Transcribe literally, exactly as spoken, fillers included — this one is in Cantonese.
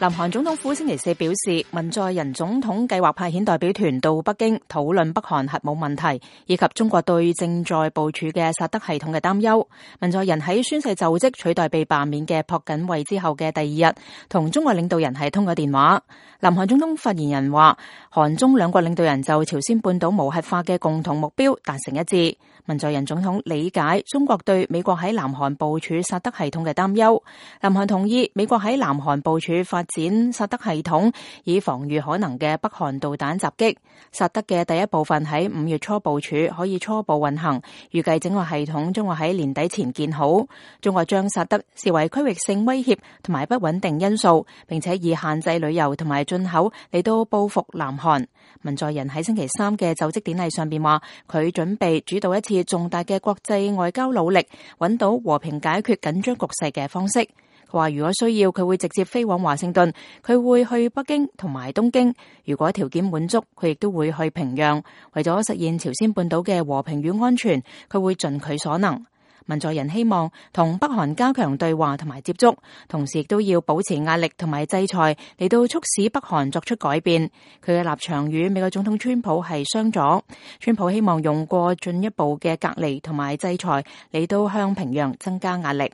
南韓總統府星期四表示，文在寅總統計劃派遣代表團到北京討論北韓核武問題，以及中國對正在部署嘅薩德系統嘅擔憂。文在寅喺宣誓就職取代被罷免嘅朴槿惠之後嘅第二日，同中國領導人係通過電話。南韓總統發言人話，韓中兩國領導人就朝鮮半島無核化嘅共同目標達成一致。文在寅總統理解中國對美國喺南韓部署薩德系統嘅擔憂。南韓同意美國喺南韓部署發展薩德系統，以防禦可能嘅北韓導彈襲擊。薩德嘅第一部分喺五月初部署，可以初步運行，預計整個系統將會喺年底前建好。中國將薩德視為區域性威脅同埋不穩定因素，並且以限制旅遊同埋進口嚟到報復南韓。文在寅喺星期三嘅就職典禮上邊話，佢準備主導一次重大嘅國際外交努力，揾到和平解決緊張局勢嘅方式。佢話如果需要，佢會直接飛往華盛頓，佢會去北京同埋東京。如果條件滿足，佢亦都會去平壤。為咗實現朝鮮半島嘅和平與安全，佢會盡佢所能。文在寅希望同北韓加強對話同埋接觸，同時亦都要保持壓力同埋制裁嚟到促使北韓作出改變。佢嘅立場與美國總統川普係相左。川普希望用過進一步嘅隔離同埋制裁嚟到向平壤增加壓力。